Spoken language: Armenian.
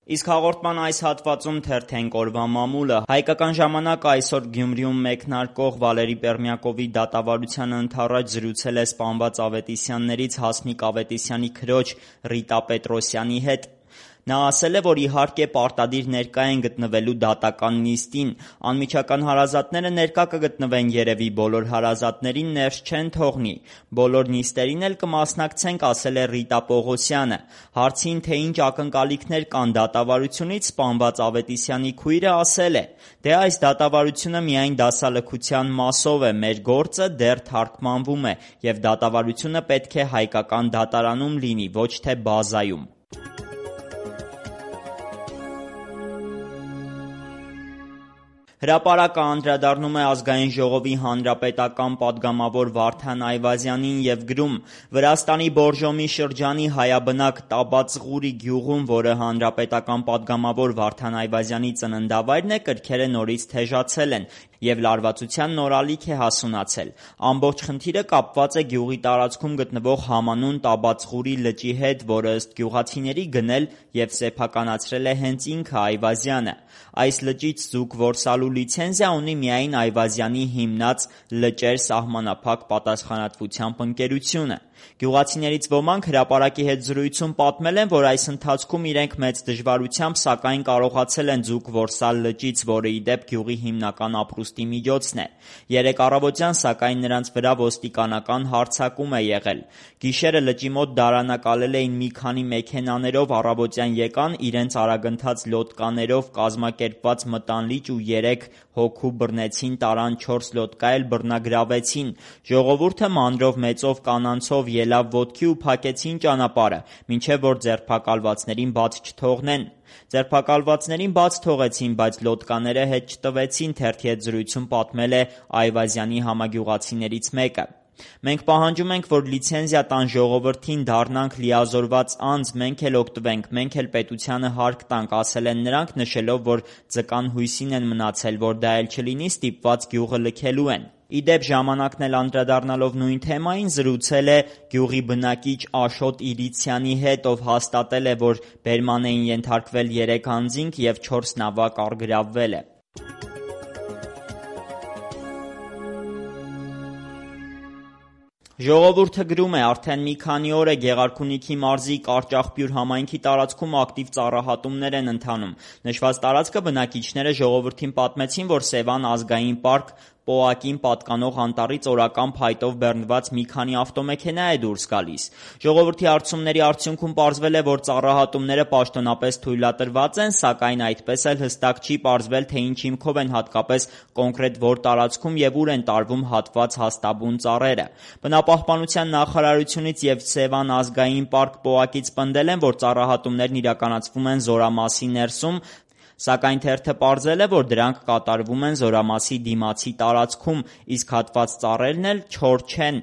Իսկ հաղորդման այս հատվածում թերթենք օրվա մամուլը։ Հայկական ժամանակը այսօր Գյումրիում մեկնարկող Վալերի Պերմյակովի դատավարությանը ընդառաջ զրուցել է սպանված Ավետիսյաններից Հասմիկ Ավետիսյանի քրոջ Ռիտա Պետրոսյանի հետ։ Նա ասել է, որ իհարկե պարտադիր ներկա են գտնվելու դատական նիստին, անմիջական հարազատները ներկա կգտնվեն երևի, բոլոր հարազատներին ներս չեն թողնի, բոլոր նիստերին էլ կմասնակցենք, ասել է Ռիտա Պողոսյանը։ Հարցին, թե ինչ ակնկալիքներ կան դատավարությունից, սպանված Ավետիսյանի քույրը ասել է. «Դե այս դատավարությունը միայն դասալքության մասով է, մեր գործը դեռ թարգմանվում է, և դատավարությունը պետք է հայկական դատարանում լինի, ոչ թե բազայում»։ Հրապարակը անդրադառնում է Ազգային ժողովի հանրապետական պատգամավոր Վարդան Այվազյանին և գրում. «Վրաստանի Բորժոմի շրջանի հայաբնակ Տաբածղուրի գյուղում, որը հանրապետական պատգամավոր Վարդան Այվազյանի ծննդավայրն է, կրքերը նորից թեժացել են և լարվածության նոր ալիք է հասունացել։ Ամբողջ խնդիրը կապված է գյուղի տարածքում գտնվող համանուն Տաբածղուրի լճի հետ, որը ըստ գյուղացիների գնել և սեփականացրել է հենց ինքը Այվազյանը։ Այս լճից ձուկ որսալու լիցենզիա ունի միայն Այվազյանի հիմնած «Լճեր» սահմանափակ պատասխանատվությամբ ընկերությունը։ Գյուղացիներից ոմանք հրապարակի հետ զրույցում պատմել են, որ այս ընթացքում իրենք մեծ դժվարությամբ, սակայն կարողացել են ձուկ որսալ լճից, որը ի դեպ գյուղի հիմնական ապրուստի միջոցն է։ Երեկ առավոտյան, սակայն, նրանց վրա ոստիկանական հարձակում է եղել։ Գիշերը լճի մոտ դարանակալել էին մի քանի մեքենաներով, առավոտյան եկան, իրենց արագընթաց լոդկաներով կազմակերպված մտան լիճ ու 3 հոգու բռնեցին, տարան 4 լոդկա էլ բռնագրավեցին։ Ժողովուրդը մանրով մեծով կանանցով ելավ ոտքի ու փակեցին ճանապարհը, մինչև որ ձերբակալվածներին բաց չթողնեն։ Ձերբակալվածներին բաց թողեցին, բայց լոդկաները հետ չտվեցին, թերթի հետ զրույցում պատմել է Այվազյանի համագյուղացիներից մեկը։ Մենք պահանջում ենք, որ լիցենզիա տան ժողովրդին, դառնանք լիազորված անձ, մենք էլ օգտվենք, մենք էլ պետությանը հարկ տանք, ասել են նրանք, նշելով, որ ձկան հույսին են մնացել, որ դա էլ չլինի, ստիպված գյուղը լքելու են։ Ի դեպ, ժամանակն էլ անդրադառնալով նույն թեմային, զրուցել է գյուղի բնակիչ Աշոտ Իրիցյանի հետ, ով հաստատել է, որ բերման էին ենթարկվել 3 անձինք և 4 նավակ առգրավվել է։ Ժողովուրդը գրում է. արդեն մի քանի օր է Գեղարքունիքի մարզի Կարճախբյուր համայնքի տարածքում ակտիվ ծառահատումներ են ընթանում։ Նշված տարածքը բնակիչները ժողովրդին պատմեցին, որ Սևան ազգային պարկ ՊՕԱԿ-ին պատկանող անտառից օրական փայտով բեռնված մի քանի ավտոմեքենա է դուրս գալիս։ Ժողովրդի հարցումների արդյունքում պարզվել է, որ ծառահատումները պաշտոնապես թույլատրված են, սակայն այդպես էլ հստակ չի պարզվել, թե ինչ հիմքով են, հատկապես կոնկրետ որ տարածքում և ուր են տարվում հատված հաստաբուն ծառերը։ Բնապահպանության նախարարությունից և Սևան ազգային պարկ ՊՕԱԿ-ից պնդել են, որ ծառահատումներն իրականացվում են Զորամասի ներսում, սակայն թերթը պարզել է, որ դրանք կատարվում են Զորամասի դիմացի տարածքում, իսկ հատված ծառերն էլ չոր չեն։